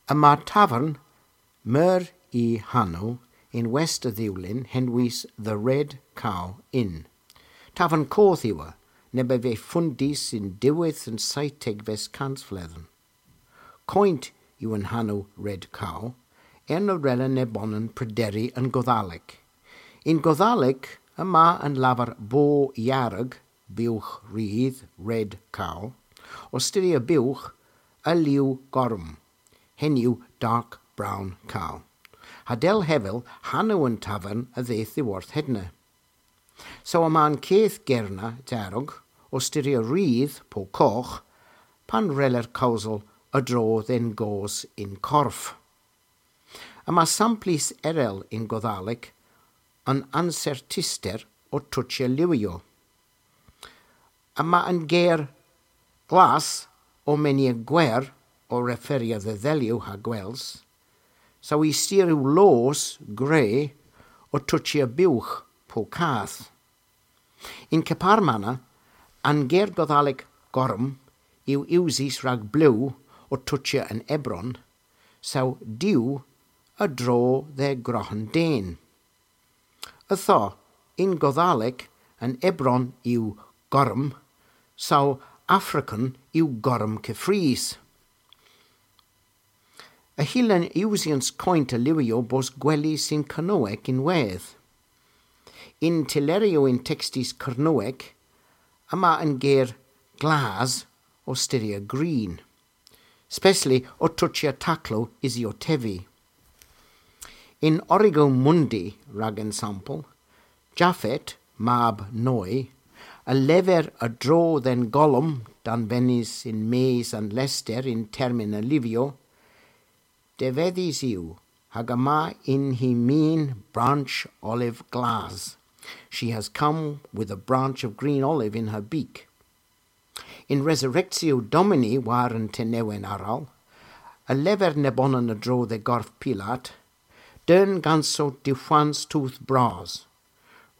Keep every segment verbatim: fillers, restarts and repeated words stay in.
Yma tavern meur y hanow yn west a Dhewlyn henwys The Red Cow Inn. Tavern koth yw ev, neb a veu fondys yn diwedh an seytegves kansvledhen. Koynt yw an hanow Red Cow, erna rella nebonan prederi an Godhalek. Yn Godhalek yma an lavar bow yarag, bugh rudh, red cow, ow styrya bugh, a liw gorm, henn yw dark brown cow. Ha dell hevel, hanow an tavern a dheuth dhyworth hedna. So yma an keth ger na, darog, ow styrya rudh po kogh, pan reller kewsel a-dro dhe'n goos yn korf. Yma samplys erel yn Godhalek an ansertister ow tochya liwyow. Yma an ger glas ow menya gwer ow referya dhe dhelyow ha gwels, saw y styr yw loos gre ow tochya bugh po kath. Yn kepar ma, an ger Godhalek gorm yw usys rag blew ow tochya an ebron, saw dew a-dro dhe groghen den. Ytho, yn Godhalek an ebron yw gorm, saw Afrikan yw gorm keffrys. Y hyllir usyans koynt a liwyow bos gwelys yn Kernewek ynwedh. Yn tylleryow yn tekstes Kernewek, yma an ger glas ow styrya green, spesli ow tochya taklow usi ow tevi. Yn Origo Mundi, rag ensampel, Japhet, mab Noy, a lever a-dro dhe'n golom danvenys yn-mes an lester yn termyn a liwyow, devedhys yw, hag yma yn hy min branch olive glas. She has come with a branch of green olive in her beak. Yn Resurrectio Domini war an tenewen arall, a lever nebonan a-dro dhe gorf Pilat, deun ganso diwhans tudh bras,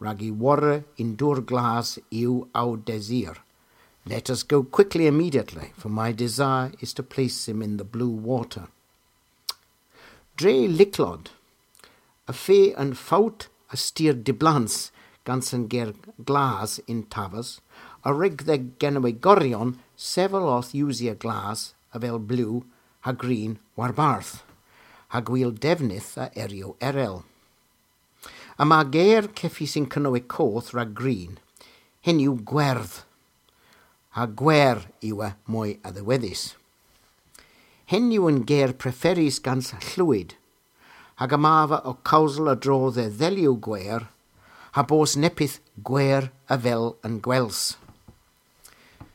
rag y worra yn dewr glas yw ow desir. Let us go quickly immediately, for my desire is to place him in the blue water. Dre lycklod, y feu an fowt a styr dyblans gans an ger glas yn tavas, a wrug dha genowegoryon sevel orth usya glas avel blew ha green warbarth, ha gwil devnydh a eryow erel. Yma ger keffrys yn Kernewek Koth rag green, henn yw gwerdh, ha gwer yw ev moy a-dhiwedhes. Henn yw an ger preferys gans Llwyd, hag ymava ow kewsel a-dro dhe dhelyow gwer, ha bos neppyth gwer avel an gwels.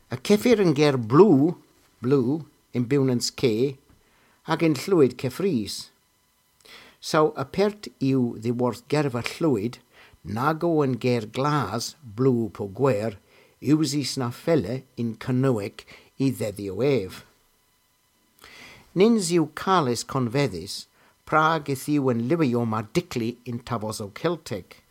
Y kevir an ger blew, blew, yn Bewnans Ke, hag yn Llwyd keffrys. Saw apert yw dhyworth gerva Llwyd, nag o an ger glas, blew po gwer, usys na fella yn Kernewek y dhedhyow ev. Nyns yw kales konvedhys prag yth yw an liwyow ma dykli yn tavosow Keltek.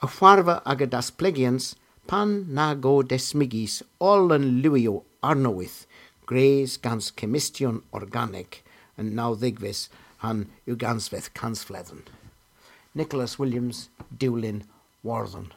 Y hwarva aga dasplegyans pan nag o desmygys oll an liwyow arnowydh, gwrys gans kemmystyon organek, yn nawdhegves ha'n ugens kansvledhen. Nicholas Williams, Dewlin, Wordhen.